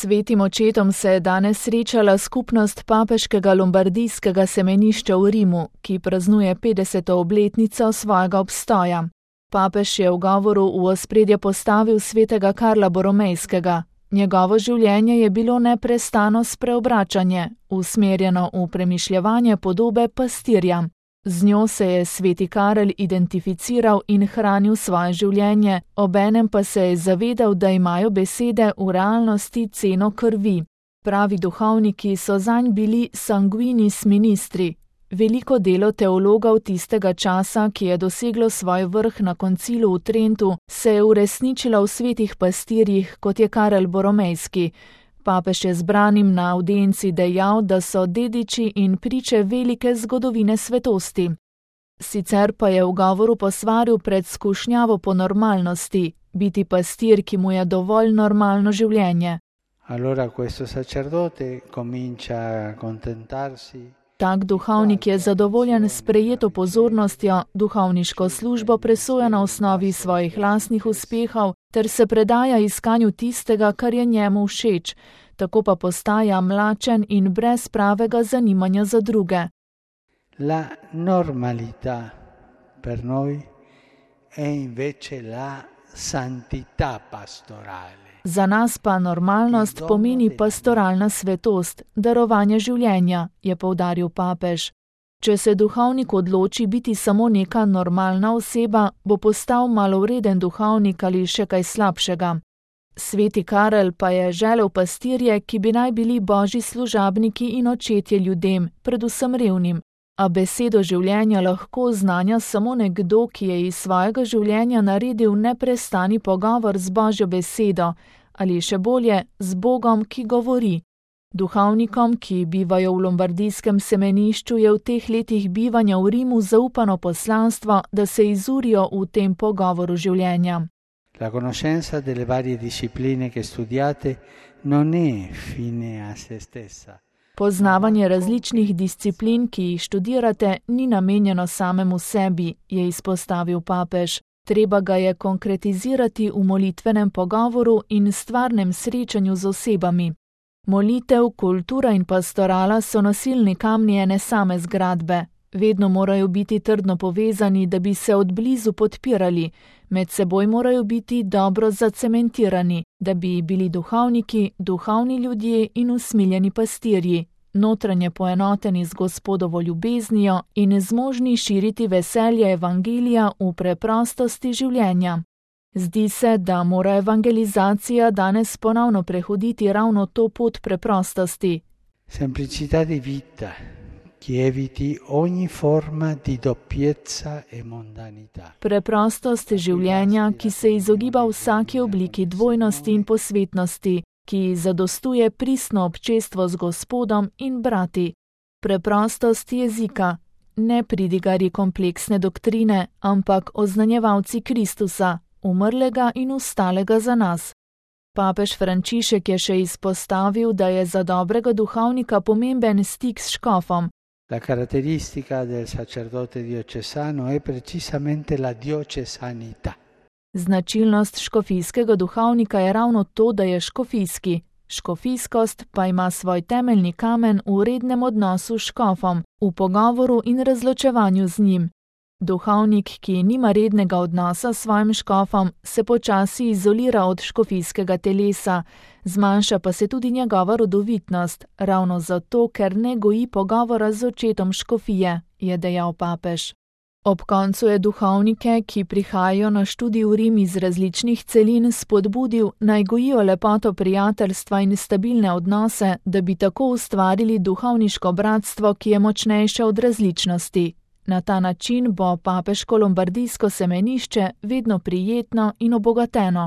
Svetim očetom se je danes srečala skupnost papeškega lombardijskega semenišča v Rimu, ki praznuje 50. obletnico svojega obstoja. Papež je v govoru v ospredje postavil svetega Karla Boromejskega. Njegovo življenje je bilo neprestano spreobračanje, usmerjeno v premišljevanje podobe pastirja. Z njo se je sveti Karel identificiral in hranil svoje življenje, obenem pa se je zavedal, da imajo besede v realnosti ceno krvi. Pravi duhovniki so zanj bili sanguinis ministri. Veliko delo teologov tistega časa, ki je doseglo svoj vrh na koncilu v Trentu, se je uresničilo v svetih pastirjih, kot je Karel Boromejski. Papež je zbranim na avdienci dejal, da so dediči in priče velike zgodovine svetosti. Sicer pa je v govoru posvaril pred skušnjavo po normalnosti, biti pastir, ki mu je dovolj normalno življenje. Allora questo sacerdote comincia a accontentarsi. Tak duhovnik je zadovoljen s prejeto pozornostjo, duhovniško službo presoja na osnovi svojih lastnih uspehov ter se predaja iskanju tistega, kar je njemu všeč, tako pa postaja mlačen in brez pravega zanimanja za druge. La normalità per noi è invece la santità pastorale. Za nas pa normalnost pomeni pastoralna svetost, darovanje življenja, je poudaril papež. Če se duhovnik odloči biti samo neka normalna oseba, bo postal malovreden duhovnik ali še kaj slabšega. Sveti Karel pa je želel pastirje, ki bi naj bili božji služabniki in očetje ljudem, predvsem revnim. A besedo življenja lahko znanja samo nekdo, ki je iz svojega življenja naredil neprestani pogovor z Božjo besedo, ali še bolje, z Bogom, ki govori. Duhovnikom, ki bivajo v lombardijskem semenišču, je v teh letih bivanja v Rimu zaupano poslanstvo, da se izurijo v tem pogovoru življenja. La conoscenza delle varie discipline che studiate non è fine a se stessa. Poznavanje različnih disciplin, ki jih študirate, ni namenjeno samemu sebi, je izpostavil papež. Treba ga je konkretizirati v molitvenem pogovoru in stvarnem srečanju z osebami. Molitev, kultura in pastorala so nosilni kamni ene same zgradbe. Vedno morajo biti trdno povezani, da bi se odblizu podpirali. Med seboj morajo biti dobro zacementirani, da bi bili duhovniki, duhovni ljudje in usmiljeni pastirji, notranje poenoteni z Gospodovo ljubeznijo in zmožni širiti veselje evangelija v preprostosti življenja. Zdi se, da mora evangelizacija danes ponovno prehoditi ravno to pot preprostosti. Semplicità di vita. Che eviti ogni forma di doppiezza e mondanità. Preprostost življenja, ki se izogiba vsaki obliki dvojnosti in posvetnosti, ki zadostuje pristno občestvo z Gospodom in brati. Preprostost jezika, ne pridigarji kompleksne doktrine, ampak oznanjevalci Kristusa, umrlega in vstalega za nas. Papež Frančišek je še izpostavil, da je za dobrega duhovnika pomemben stik s škofom. La caratteristica del sacerdote diocesano è precisamente la diocesanità. Značilnost škofijskega duhovnika je ravno to, da je škofijski. Škofijskost pa ima svoj temeljni kamen v rednem odnosu s škofom, v pogovoru in razločevanju z njim. Duhovnik, ki nima rednega odnosa s svojim škofom, se počasi izolira od škofijskega telesa, zmanjša pa se tudi njegova rodovitnost, ravno zato, ker ne goji pogovora z očetom škofije, je dejal papež. Ob koncu je duhovnike, ki prihajajo na študij v Rim iz različnih celin, spodbudil, naj gojijo lepoto prijateljstva in stabilne odnose, da bi tako ustvarili duhovniško bratstvo, ki je močnejše od različnosti. Na ta način bo papeško lombardijsko semenišče vedno prijetno in obogateno.